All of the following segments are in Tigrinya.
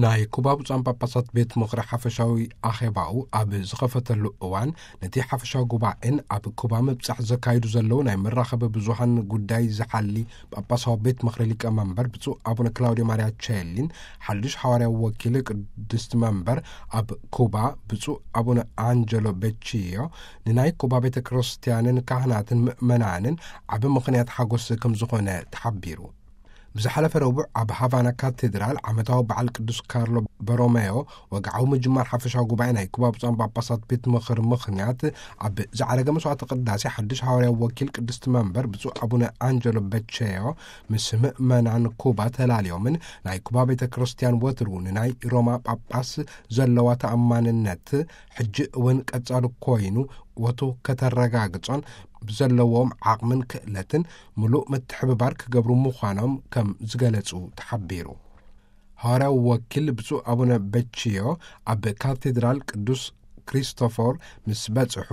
ናይ ኩባ ብፁዓን ጳጳሳት ቤት ምኽሪ ሓፈሻዊ ኣኼባኡ ኣብ ዝኸፈተሉ እዋን፣ ነቲ ሓፈሻዊ ጉባኤን ኣብ ኩባ ምብጻሕ ዘካይዱ ዘለዉ ናይ መራኸቢ ብዙሃን ጉዳይ ዝሓሊ ጳጳሳዊ ቤት ምኽሪ ሊቀ መንበር ብፁዕ ኣቡነ ክላውዲዮ ማርያ ቼሊን፣ ሓድሽ ሓዋርያዊ ወኪል ቅድስቲ መንበር ኣብ ኩባ ብፁዕ ኣቡነ ኣንጀሎ ቤቺዮ፣ ንናይ ኩባ ቤተ ክርስቲያንን ካህናትን ምእመናንን ዓቢ ምኽንያት ሓጎስ ከም ዝኾነ ተሓቢሩ። ብዝሓለፈ ረቡዕ ኣብ ሃቫና ካቴድራል ዓመታዊ በዓል ቅዱስ ካርሎ በሮሜዮ ወግዓዊ ምጅማር ሓፈሻዊ ጉባኤ ናይ ኩባ ብፁዓን ጳጳሳት ቤት ምኽሪ ምኽንያት፣ ኣብ ዝዓረገ መስዋዕተ ቅዳሴ ሓድሽ ሃዋርያዊ ወኪል ቅድስቲ መንበር ብፁዕ ኣቡነ ኣንጀሎ በቼዮ ምስ ምእመናን ኩባ ተላልዮምን፣ ናይ ኩባ ቤተ ክርስቲያን ወትሩ ንናይ ሮማ ጳጳስ ዘለዋ ተኣማንነት ሕጂ እውን ቀጻሊ ኮይኑ ወትሩ ከተረጋግጾን ብዘለዎም ዓቕምን ክእለትን ምሉእ ምትሕብባር ክገብሩ ምዃኖም ከም ዝገለጹ ተሓቢሩ። ሃዋርያዊ ወኪል ብፁዕ ኣቡነ በቺዮ ኣብ ካቴድራል ቅዱስ ክሪስቶፎር ምስ በጽሑ፣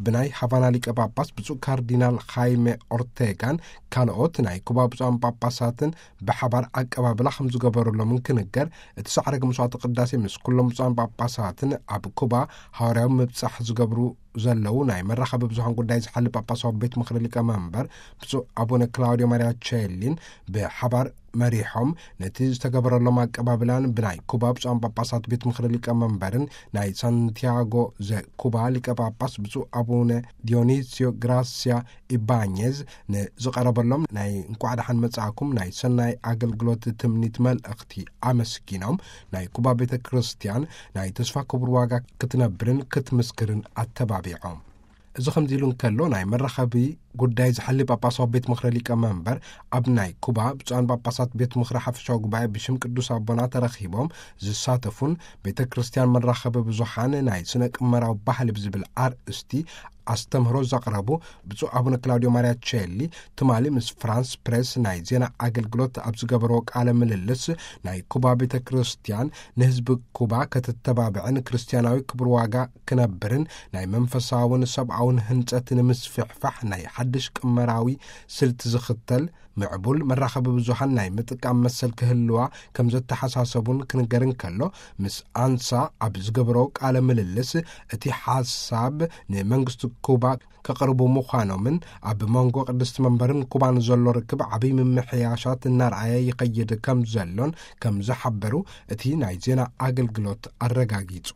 ብናይ ሃቫና ሊቀ ጳጳስ ብፁዕ ካርዲናል ኻይሜ ኦርቴጋን ካልኦት ናይ ኩባ ብፁዓን ጳጳሳትን ብሓባር ኣቀባብላ ከም ዝገበረሎምን ክንገር፣ እቲ ሳዕረግ መስዋዕተ ቅዳሴ ምስ ኩሎም ብፁዓን ጳጳሳትን ኣብ ኩባ ሃዋርያዊ ምብጻሕ ዝገብሩ ዘለዉ ናይ መራኸቢ ብዙሃን ጉዳይ ዝሓሊ ጳጳሳዊ ቤት ምኽሪ ሊቀ መንበር ብፁዕ ኣቡነ ክላውዲዮ ማርያ ቼሊን ብሓባር መሪሖም፣ ነቲ ዝተገበረሎም ኣቀባብላን ብናይ ኩባ ብፁዓን ጳጳሳት ቤት ምኽሪ ሊቀ መንበርን ናይ ሳንቲያጎ ዘኩባ ሊቀ ጳጳስ ብፁዕ ኣቡነ ዲዮኒስዮ ግራሲያ ኢባኘዝ ንዝቐረበሎም ናይ እንኳዕ ደሓን መጻእኩም ናይ ሰናይ ኣገልግሎት ትምኒት መልእኽቲ ኣመስጊኖም፣ ናይ ኩባ ቤተ ክርስቲያን ናይ ተስፋ ክቡር ዋጋ ክትነብርን ክትምስክርን ኣተባቢዖም። እዚ ከምዚ ኢሉ እንከሎ፣ ናይ መራኸቢ ጉዳይ ዝሓሊ ጳጳሳዊ ቤት ምኽሪ ሊቀ መንበር ኣብ ናይ ኩባ ብፁዓን ጳጳሳት ቤት ምኽሪ ሓፈሻዊ ጉባኤ ብሽም ቅዱስ ኣቦና ተረኺቦም ዝሳተፉን ቤተ ክርስቲያን መራኸቢ ብዙሃን ናይ ስነ ቅመራዊ ባህሊ ብዝብል ኣርእስቲ ኣስተምህሮ ዘቕረቡ ብፁዕ ኣቡነ ክላውዲዮ ማርያ ቼሊ፣ ትማሊ ምስ ፍራንስ ፕሬስ ናይ ዜና ኣገልግሎት ኣብ ዝገበርዎ ቃለ ምልልስ፣ ናይ ኩባ ቤተ ክርስቲያን ንህዝቢ ኩባ ከተተባብዕን ክርስቲያናዊ ክብር ዋጋ ክነብርን ናይ መንፈሳውን ሰብኣውን ህንጸት ንምስፍሕፋሕ ናይ ሓድሽ ቅመራዊ ስልቲ ዝኽተል ምዕቡል መራኸቢ ብዙሃን ናይ ምጥቃም መሰል ክህልዋ ከም ዘተሓሳሰቡን ክንገር እንከሎ፣ ምስ ኣንሳ ኣብ ዝገበሮ ቃለ ምልልስ፣ እቲ ሓሳብ ንመንግስቲ ኩባ ከቕርቡ ምዃኖምን ኣብ መንጎ ቅድስቲ መንበርን ኩባን ዘሎ ርክብ ዓብዪ ምምሕያሻት እናርኣየ ይኸይድ ከም ዘሎን ከም ዝሓበሩ እቲ ናይ ዜና ኣገልግሎት ኣረጋጊጹ።